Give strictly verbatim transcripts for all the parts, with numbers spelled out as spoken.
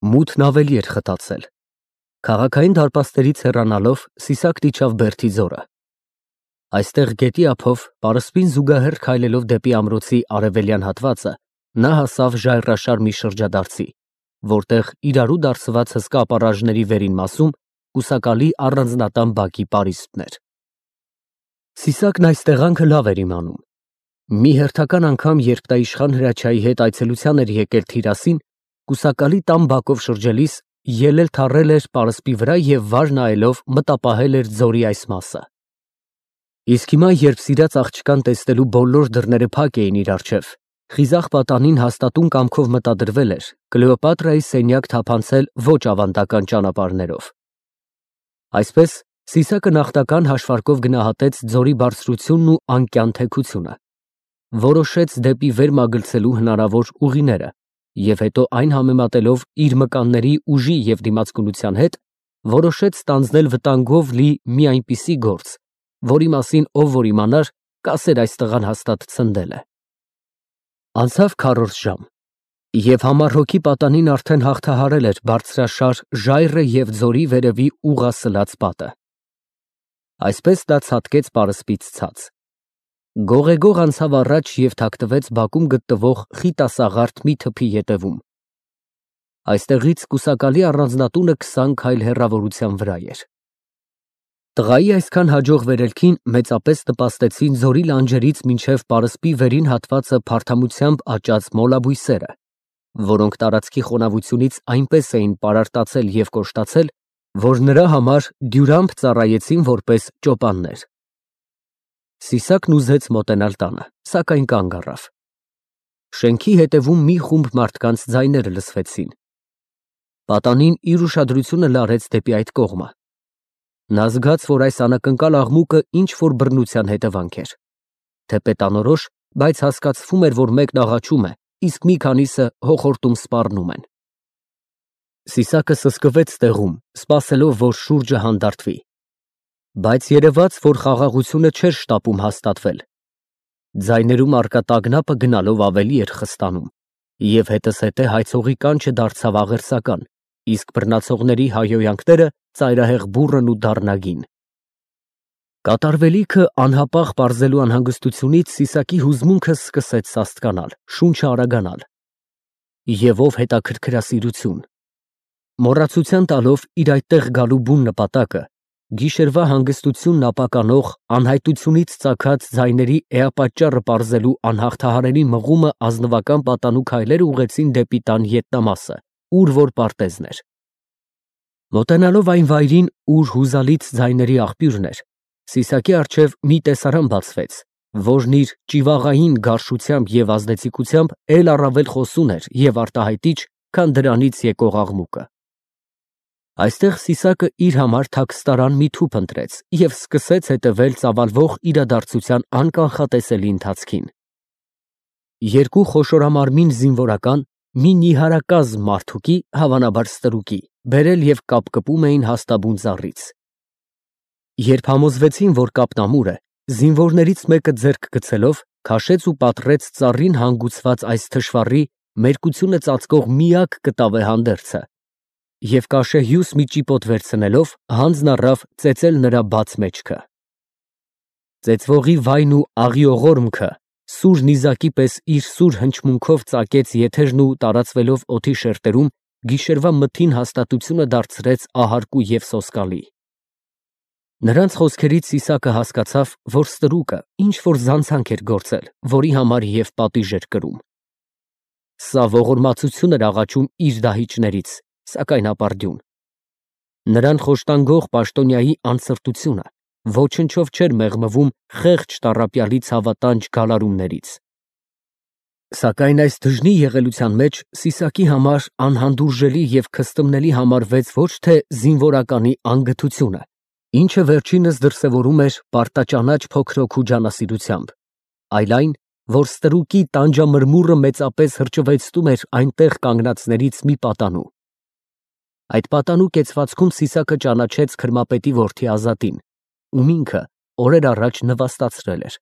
Մութն ավելի էր խտացել։ Քաղաքային դարպասներից հեռանալով Սիսակն իջավ Բերդի ձորը։ Այստեղ գետի ափով, պարսպին զուգահեռ քայլելով դեպի ամրոցի արևելյան հատվածը, նա հասավ ժայռաշար մի շրջադարձի, որտեղ իրարու դարձված հսկա ապառաժների վերին մասում կուսակալի առանձնատան բակի պարիսպն էր։ Սիսակն այս տեղանքը լավ էր իմանում։ Մի հերթական անգամ, երբ նա իշխան Հրաչյայի հետ այցելության էր եկել Թիրասին, կուսակալի տան բակով շրջելիս ելել թռել էր պարսպի վրա և վար նայելով մտապահել էր ձորի այս մասը։ Իսկ հիմա, երբ սիրած աղջկան տեսնելու բոլոր դռները փակ էին իր առջև, խիզախ պատանին հաստատուն կամքով մտադրվել էր Կլեոպատրայի սենյակ թափանցել ոչ ավանդական ճանապարհներով։ Այսպես Սիսակը նախնական հաշվարկով գնահատեց ձորի բարձրությունն ու անկյան թեքությունը, որոշեց դեպի վեր մագլցելու հնարավոր ուղիները և հետո այն համեմատելով իր մկանների ուժի և դիմացկունության հետ, որոշեց ստանձնել վտանգով լի մի այնպիսի գործ, որի մասին ով որ իմանար, կասեր այս տղան հաստատ ցնդել է։ Անցավ քառորդ ժամ, և համառ հոգի պատանին արդեն հաղթահարել էր բարձրաշար ժայռը և ձորի վերևի ուղղասլաց պատը։ Այսպես նա ցատկեց պարսպից ցած, գողեգող անցավ առաջ և թաքնվեց բակում գտնվող խիտասաղարթ մի թփի ետևում։ Այստեղից կուսակալի առանձնատունը քսան քայլ հեռավորության վրա էր։ Տղայի այսքան հաջող վերելքին մեծապես նպաստեցին ձորի լանջերից մինչև պարսպի վերին հատվածը փարթամությամբ աճած մոլաբույսերը, որոնք տարածքի խոնավությունից այնպես էին պարարտացել և կոշտացել, որ նրա համար դյուրամբ ծառայեցին որպես ճոպաններ։ Սիսակն ուզեց մոտենալ տանը, սակայն կանգ առավ։ Շենքի հետևում մի խումբ մարդկանց ձայներ լսվեցին։ Պատանին իր ուշադրությունը լարեց դեպի այդ կողմը։ Նա զգաց, որ այս անակնկալ աղմուկը ինչ֊որ բռնության հետևանք էր։ Թեպետ անորոշ, բայց հասկացվում էր, որ մեկն աղաչում է, իսկ մի քանիսը հոխորտում սպառնում են։ Սիսակը սսկվեց տեղում, սպասելով, որ շուրջը հանդարտվի։ Բայց երևաց, որ խաղաղությունը չէր շտապում հաստատվել։ Ձայներում առկա տագնապը գնալով ավելի էր խստանում, և հետզհետե հայցողի կանչը դարձավ աղերսական, իսկ բռնացողների հայհոյանքները ծայրահեղ բուռն ու դառնագին։ Կատարվելիքը անհապաղ պարզելու անհանգստությունից Սիսակի հուզմունքը սկսեց սաստկանալ, շունչը արագանալ։ Եվ ով հետաքրքրասիրություն։ Մոռացության տալով իր այդտեղ գալու բուն նպատակը, գիշերվա հանգստությունն ապականող, անհայտությունից ծագած ձայների էապատճառը պարզելու անհաղթահարելի մղումը ազնվական պատանու քայլերը ուղղեցին դեպի տան ետնամասը, ուր որ պարտեզն էր։ Մոտենալով այն վայրին, ուր հուզալից ձայների աղբյուրն էր, Սիսակի առջև մի տեսարան բացվեց, որն իր ճիվաղային գարշությամբ և ազդեցիկությամբ էլ առավել խոսուն էր և արտահայտիչ, քան դրանից եկող աղմուկը։ Այստեղ Սիսակը իր համար թաքստարան մի թուփ ընտրեց և սկսեց հետևել ծավալվող իրադարձության անկանխատեսելի ընթացքին։ Երկու խոշորամարմին զինվորական, մի նիհարակազմ մարդուկի, հավանաբար ստրուկի, բերել և կապկպում էին հաստաբուն ծառից։ Երբ համոզվեցին, որ կապն ամուր է, զինվորներից մեկը ձեռք գցելով, քաշեց ու պատռեց ծառին հանգուցված այս թշվառի, մերկությունը ծածկող միակ կտավե հանդերձը և կաշեհյուս մի ճիպոտ վերցնելով, հանձն առավ ծեծել նրա բաց մեջքը։ Ծեծվողի վայն ու աղիողորմքը սուր նիզակի պես իր սուր հնչմունքով ծակեց եթերն ու տարածվելով օդի շերտերում, գիշերվա մթին հաստատությունը դարձրեց ահարկու և սոսկալի։ Նրանց խոսքերից Սիսակը հասկացավ, որ ստրուկը ինչ֊որ զանցանք էր գործել, որի համար և պատիժ էր կրում։ Սա ողորմածություն էր աղաչում իր դահիճներից, սակայն ապարդյուն։ Նրան խոշտանգող պաշտոնյայի անսրտությունը ոչնչով չէր մեղմվում խեղճ տառապյալի ցավատանջ գալարումներից։ Սակայն այս դժնի եղելության մեջ Սիսակի համար անհանդուրժելի և քստմնելի համարվեց ոչ թե զինվորականի անգթությունը, ինչը վերջինս դրսևորում էր պարտաճանաչ փոքրոք ջանասիրությամբ, այլ այն, որ ստրուկի տանջամրմուռը մեծապես հրճվեցնում էր այնտեղ կանգնածներից մի պատանու։ Այդ պատանու կեցվածքում Սիսակը ճանաչեց քրմապետի որդի Ազատին, ում ինքը օրեր առաջ նվաստացրել էր,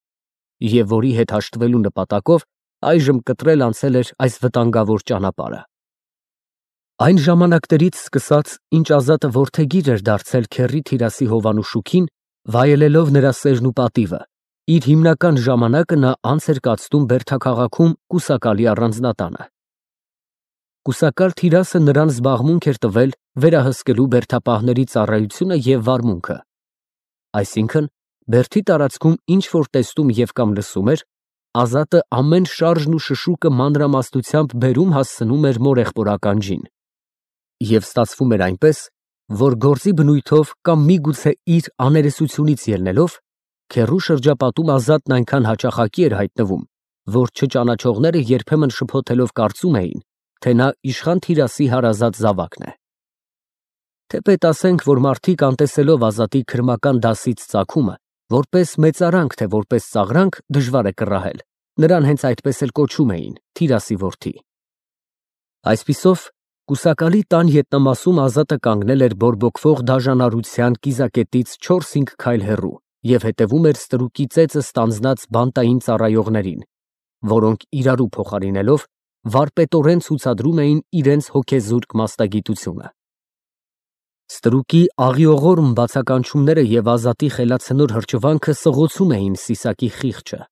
և որի հետ հաշտվելու նպատակով այժմ կտրել անցել էր այս վտանգավոր ճանապարհը։ Այն ժամանակներից սկսած, ինչ Ազատը որդեգիր էր դարձել քեռի Թիրասի Հովանու շուքին, վայելելով նրա սերն ու պատիվը, իր հիմնական ժամանակը նա անց էր կացնում Բերդաքաղաքում Կուսակալի առանձնատանը։ Կուսակալ Թիրասը նրան զբաղմունք էր տվել վերահսկելու բերդապահների ծառայությունը և վարմունքը, այսինքն Բերդի տարածքում ինչ որ տեսնում և կամ լսում էր, Ազատը ամեն շարժն ու շշուկը մանրամասնությամբ բերում հասցնում էր մորեղբոր ականջին։ Եվ ստացվում էր այնպես, որ գործի բնույթով կամ միգուցե իր աներեսությունից ելնելով, քեռու շրջապատում Ազատն այնքան հաճախակի էր հայտնվում, որ չճանաչողները երբեմն շփոթելով կարծում էին, թե նա իշխան Թիրասի հարազատ զավակն է։ Թեպետ ասենք, որ մարդիկ անտեսելով Ազատի քրմական դասից ծագումը, որպես մեծարանք, թե որպես ծաղրանք, դժվար է կռահել, նրան հենց այդպես էլ կոչում էին Թիրասի որդի։ Այսպիսով, Կուսակալի տան ետնամասում Ազատը կանգնել էր բորբոքվող դաժանարության կիզակետից չորս֊հինգ քայլ հեռու և հետևում էր ստրուկի ծեծը ստանձնած բանտային ծառայողներին, որոնք իրարու փոխարինելով վարպետորեն ցուցադրում էին իրենց հոգեզուրկ մասնագիտությունը։ Ստրուկի աղիողորմ բացականչումները և Ազատի խելացնոր հրճվանքը սղոցում էին Սիսակի խիղճը։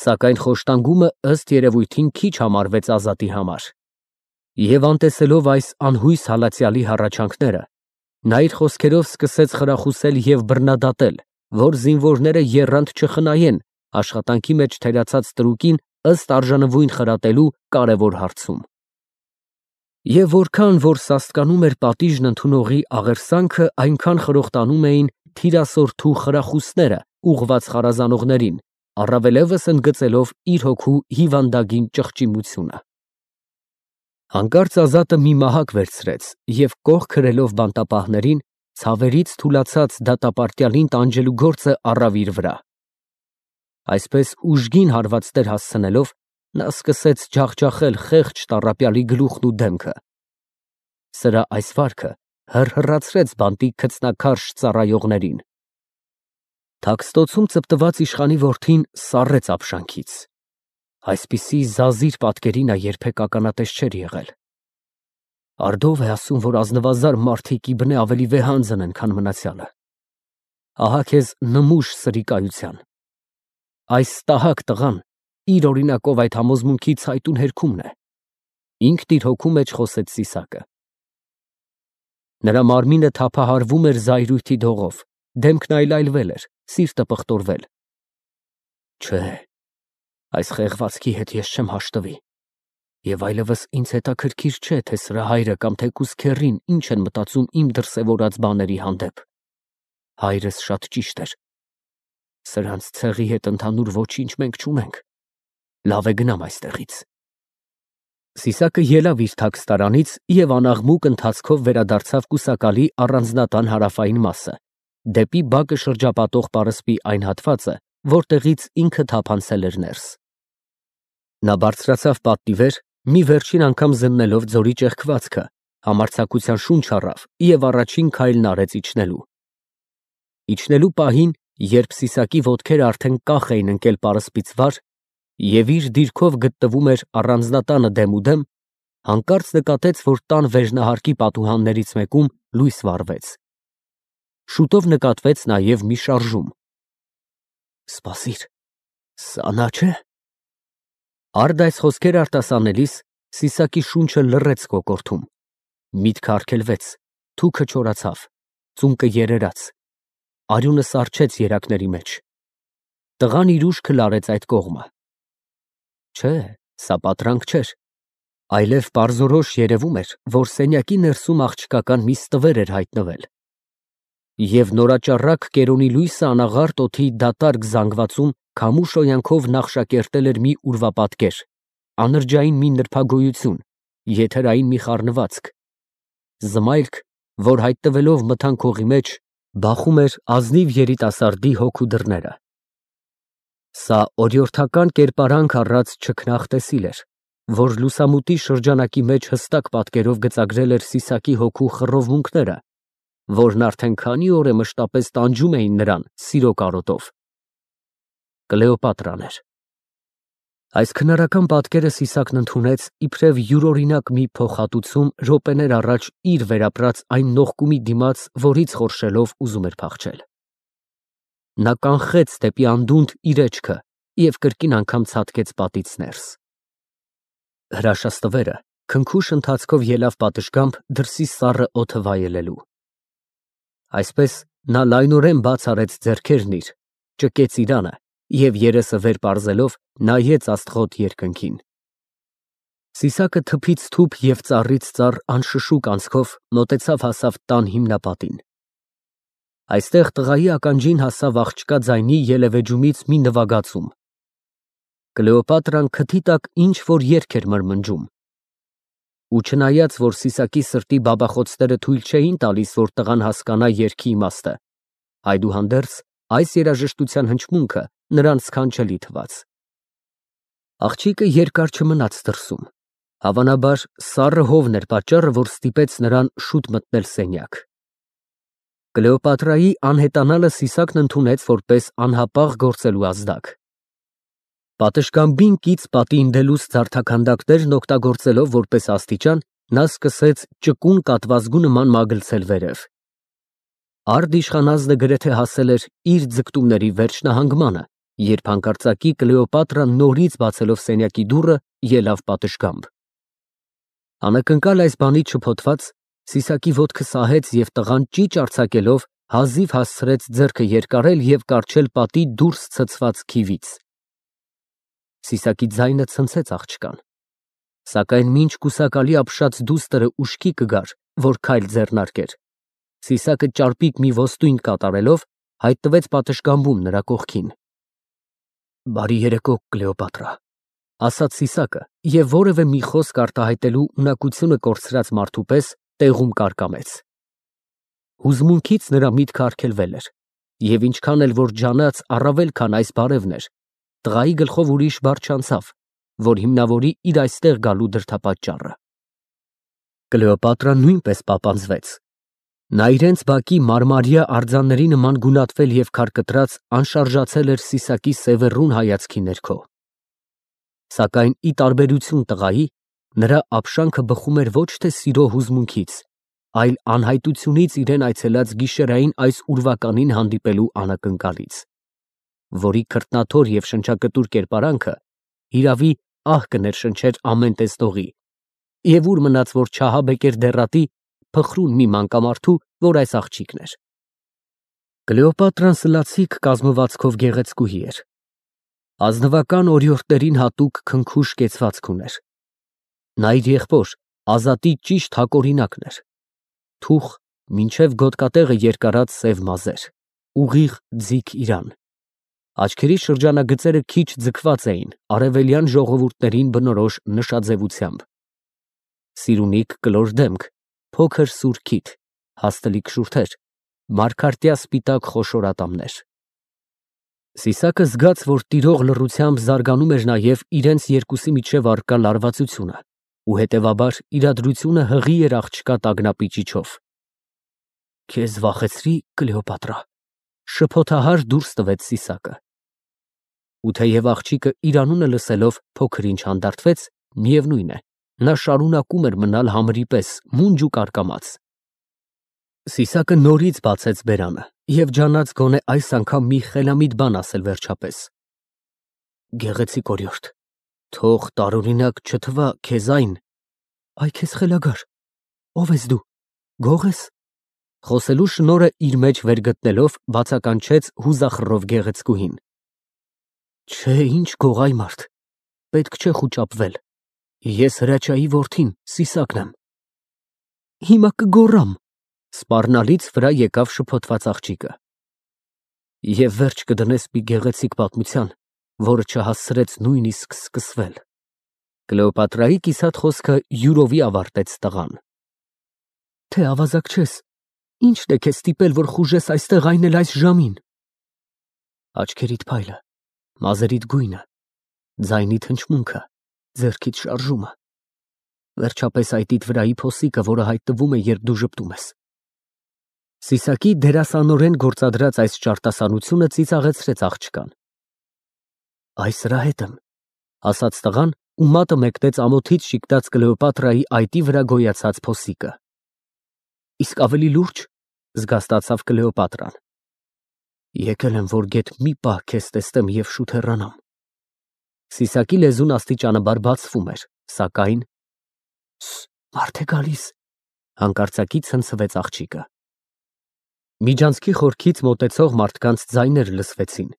Սակայն խոշտանգումը ըստ երևույթին քիչ համարվեց Ազատի համար։ Եվ անտեսելով այս անհույս հալածյալի հառաչանքները, նա իր խոսքերով սկսեց խրախուսել և բռնադատել, որ զինվորները եռանդ չխնայեն աշխատանքի մեջ թերացած ստրուկին ըստ արժանվույն խրատելու կարևոր հարցում։ Եվ որքան որ սաստկանում էր պատիժն ընդունողի աղերսանքը, այնքան խրոխտանում էին թիրասորդու խրախուսները ուղղված խարազանողներին, առավելևս ընդգծելով իր հոգու հիվանդագին ճղճիմությունը։ Հանկարծ Ազատը մի մահակ վերցրեց և կող քրելով բանտապահներին, ցավերից թուլացած դատապարտյալին տանջելու գործը առավ իր վրա։ Այսպես ուժգին հարվածներ հասցնելով, նա սկսեց ջախջախել խեղճ տառապյալի գլուխն ու դեմքը։ Սրա այս վարքը հռհռացրեց բանտի քծնակարճ ծառայողներին։ Թաքստոցում ծպտված իշխանի որդին սառեց ապշանքից։ Այսպիսի զազիր պատկերի նա երբեք ականատես չէր եղել։ Արդով է ասում, որ ազնվազար մարդիկ իբնե ավելի վեհանձն են, քան մնացյալը։ Ահա քեզ նմուշ սրի կայության։ Այս տահակ տղան իր օրինակով այդ համոզմունքի ցայտուն հերքումն է, ինքն իր հոգու մեջ խոսեց Սիսակը։ Նրա մարմինը թափահարվում էր զայրույթի դողով, դեմքն այլայլվել էր, սիրտը պղտորվել։ Չէ, այս խեղվածքի հետ ես չեմ հաշտվի, և այլևս ինձ հետաքրքիր չէ, թե սրա հայրը կամ թեկուզ քեռին ինչ են մտածում իմ դրսևորած բաների հանդեպ։ Հայրս շատ ճիշտ էր։ Սրանց ցեղի հետ ընդհանուր ոչինչ մենք չունենք։ Լավ է գնամ այստեղից։ Սիսակը ելավ իր թաքստարանից և անաղմուկ ընթացքով վերադարձավ Կուսակալի առանձնատան հարավային մասը, դեպի բակը շրջապատող պարսպի այն հատվածը, որտեղից ինքը թափանցել էր ներս։ Նա բարձրացավ պատի վեր, մի վերջին անգամ զննելով ձորի ճեղքվածքը, համարձակության շունչ առավ և առաջին քայլն արեց իջնելու։ Իջնելու պահին, երբ Սիսակի ոտքերը արդեն կախ էին ընկել պարսպից վար, և իր դիրքով գտնվում էր առանձնատանը դեմուդեմ, հանկարծ նկատեց, որ տան վերնահարկի պատուհաններից մեկում լույս վառվեց։ Շուտով նկատվեց նաև մի շարժում։ Սպասիր, սա նա չէ՞։ Արդ այս խոսքերը արտասանելիս Սիսակի շունչը լռեց կոկորդում, միտքը արգելվեց, թուքը չորացավ, ծունկը երերաց, արյունը սառչեց երակների մեջ։ Տղան իր ուշքը լարեց այդ կողմը։ Չէ, սա պատրանք չէր, այլև պարզորոշ երևում էր, որ սենյակի ներսում աղջկական մի ստվեր էր հայտնվել։ Եվ նորաճառակ կերոնի լույսը անաղարտ օդի դատարկ զանգվածում քամու շոյանքով նախշակերտել էր մի ուրվապատկեր, անրջային մի նրբագոյություն, եթերային մի խառնվածք, զմայրք, որ հայտնվելով մթան քողի մեջ, բախում էր ազնիվ երիտասարդի հոգու դռները։ Սա օրիորդական կերպարանք առած չքնաղ տեսիլ էր, որ լուսամուտի շրջանակի մեջ հստակ պատկերով գծագրել էր Սիսակի հոգու խռովմունքները, որն արդեն քանի օր է մշտապես տանջում էին նրան սիրո կարոտով։ Կլեոպատրան էր։ Այս քնարական պատկերը Սիսակն ընդունեց իբրև յուրօրինակ մի փոխհատուցում րոպեներ առաջ իր վերապրած այն նողկումի դիմաց, որից խորշելով ուզում էր փախչել։ Նա կանխեց դեպի անդունդ իր էջքը և կրկին անգամ ցատկեց պատից ներս։ Հրաշաստվերը քնքուշ ընթացքով ելավ պատշգամբ դրսի սառը օդը վայելելու։ Այսպես նա լայնորեն բաց արեց ձեռքերն իր, ճկեց իրանը և երեսը վեր պարզելով նայեց աստղոտ երկնքին։ Սիսակը թփից թուփ և ծառից ծառ անշշուկ անցքով մոտեցավ հասավ տան հիմնապատին։ Այստեղ տղայի ականջին հասավ աղջկա ձայնի ելևեջումից մի նվագածում։ Կլեոպատրան քթի տակ ինչ֊որ երգ էր մրմնջում։ Ու չնայած, որ Սիսակի սրտի բաբախոցները թույլ չէին տալիս, որ տղան հասկանա երգի իմաստը, այդուհանդերձ այս երաժշտության հնչմունքը նրան սքանչելի թվաց։ Աղջիկը երկար չմնաց դրսում, հավանաբար սառը հովն էր պատճառը, որ ստիպեց նրան շուտ մտնել սենյակ։ Կլեոպատրայի անհետանալը Սիսակն ընդունեց որպես անհապաղ գործելու ազդակ։ Պատշգամբին կից պատի ընդելուց զարդաքանդակներն օգտագործելով որպես աստիճան, նա սկսեց ճկուն կատվազգու նման մագլցել վերև։ Արդ իշխանազնը գրեթե հասել էր իր ձգտումների վերջնահանգմանը, երբ հանկարծակի Կլեոպատրան նորից բացելով սենյակի դուռը, ելավ պատշգամբ։ Անակնկալ այս բանից շփոթված, Սիսակի ոտքը սահեց և տղան ճիչ արձակելով հազիվ հասցրեց ձեռքը երկարել և կառչել պատի դուրս ցցված քիվից։ Սիսակի ձայնը ցնցեց աղջկան, սակայն մինչ կուսակալի ապշած դուստրը ուշքի կգար, որ քայլ ձեռնարկեր, Սիսակը ճարպիկ մի ոստույն կատարելով հայտնվեց պատշգամբում նրա կողքին։ Բարի երեկո, Կլեոպատրա, ասաց Սիսակը և որևէ մի խոսք արտահայտելու ունակությունը կորցրած մարդու պես տեղում կարկամեց։ Հուզմունքից նրա միտքը արգելվել էր, և ինչքան էլ որ ջանաց առավել, քան այս բարևն էր, տղայի գլխով ուրիշ բառ չանցավ, որ հիմնավորի իր այստեղ գալու դրդապատճառը։ Կլեոպատրան նույնպես պապանձվեց։ Նա իրենց բակի մարմարյա արձանների նման գունատվել և քարկտրած անշարժացել էր Սիսակի սևեռուն հայացքի ներքո։ Սակայն ի տարբերություն տղայի, նրա ապշանքը բխում էր ոչ թե սիրո հուզմունքից, այլ անհայտությունից իրեն այցելած գիշերային այս ուրվականին հանդիպելու անակնկալից, որի քրտնաթոր և շնչակտուր կերպարանքը հիրավի ահ կներշնչեր ամեն տեսնողի, և ուր մնաց, որ չահաբեկեր դեռատի փխրուն մի մանկամարդու, որ այս աղջիկն էր։ Կլեոպատրան սլացիկ կազմվածքով գեղեցկուհի էր։ Ազնվական օրիորդներին հատուկ քնքուշ կեցվածք ուներ։ Նա իր եղբոր Ազատի ճիշտ հակօրինակն էր։ Թուխ, մինչև գոտկատեղը երկարած սև մազեր, ուղիղ ձիգ իրան։ Աչքերի շրջանագծերը քիչ ձգված էին արևելյան ժողովուրդներին բնորոշ նշաձևությամբ։ Սիրունիկ կլոր դեմք, փոքր սուր քիթ, հաստլիկ շուրթեր, մարգարտյա սպիտակ խոշոր ատամներ։ Սիսակը զգաց, որ տիրող լռությամբ զարգանում էր նաև իրենց երկուսի միջև առկա լարվածությունը ու հետևաբար իրադրությունը հղի էր աղջկա տագնապի ճիչով։ Քեզ վախեցրի, Կլեոպատրա, շփոթահար դուրս տվեց Սիսակը։ Ու թեև աղջիկը իր անունը լսելով փոքր ինչ հանդարտվեց, միևնույն է, նա շարունակում էր մնալ համրի պես մունջ ու կարկամած։ Սիսակը նորից բացեց բերանը և ջանաց գոնե այս անգամ մի խելամիտ բան ասել վերջապես։ Գեղեցիկ օրիորդ, թող տարօրինակ չթվա քեզ այն… Այ քեզ խելագար, ո՞վ ես դու, գող ես։ Խոսելու շնորհը իր մեջ վեր գտնելով, բացականչեց հուզախռով գեղեցկուհին։ Չէ, ինչ գող, այ մարդ, պետք չէ խուճապվել, ես հրաչյայի որդին, Սիսակն եմ։ Հիմա կգոռամ, սպառնալից վրա եկավ շփոթված աղջիկը։ Եվ վերջ կդնես մի գեղեցիկ պատմության, որը չհասցրեց նույնիսկ սկսվել։ Կլեոպատրայի կիսատ խոսքը յուրովի ավարտեց տղան։ Թե ավազակ չես, ի՞նչն է քեզ ստիպել, որ խուժես այստեղ, այն էլ այս ժամին։ Աչքերիդ փայլը, մազերիդ գույնը, ձայնիդ հնչմունքը, ձեռքիդ շարժումը, վերջապես այտիդ վրայի փոսիկը, որը հայտնվում է, երբ դու ժպտում ես։ Սիսակի դերասանորեն գործադրած այս ճարտասանությունը ծիծաղեցրեց աղջկան։ Այս սրա հետ եմ, ասաց տղան ու մատը մեկնեց ամոթից շիկտած Կլեոպատրայի այտի վրա գոյացած փոսիկը։ Իսկ ավելի լուրջ, զգաստացավ Կլեոպատրան։ Եկել եմ, որ գեթ մի պահ քեզ տեսնեմ և շուտ հեռանամ։ Սիսակի լեզուն աստիճանաբար բացվում էր, սակայն… Մարդ է գալիս, հանկարծակի ցնցվեց աղջիկը։ Միջանցքի խորքից մոտեցող մարդկանց ձայներ լսվեցին։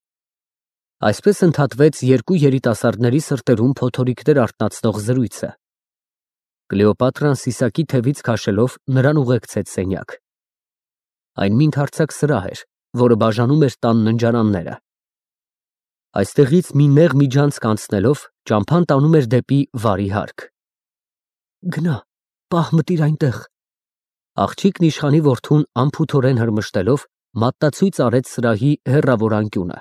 Այսպես ընդհատվեց երկու երիտասարդների սրտերում փոթորիկներ արթնացնող զրույցը։ Կլեոպատրան Սիսակի թևից քաշելով նրան ուղեկցեց սենյակ։ Այն մի ընդարձակ սրահ էր, որը բաժանում էր տան ննջարանները։ Այստեղից մի նեղ միջանցք անցնելով ճամփան տանում էր դեպի վարի հարկ։ Գնա, պահ մտիր այնտեղ։ Աղջիկն իշխանի որդուն անփութորեն հրմշտելով մատնացույց արեց սրահի հեռավոր անկյունը,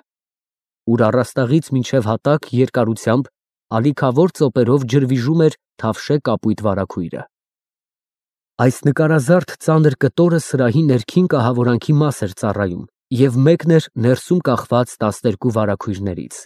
ուր առաստաղից մինչև հատակ երկարությամբ ալիքավոր ծոպերով ջրվիժում էր թավշե կապույտ վարագույրը։ Այս նկարազարդ ծանր կտորը սրահի ներքին կահավորանքի մաս էր ծառայում և մեկն էր ներսում կախված տասներկու վարագույրներից։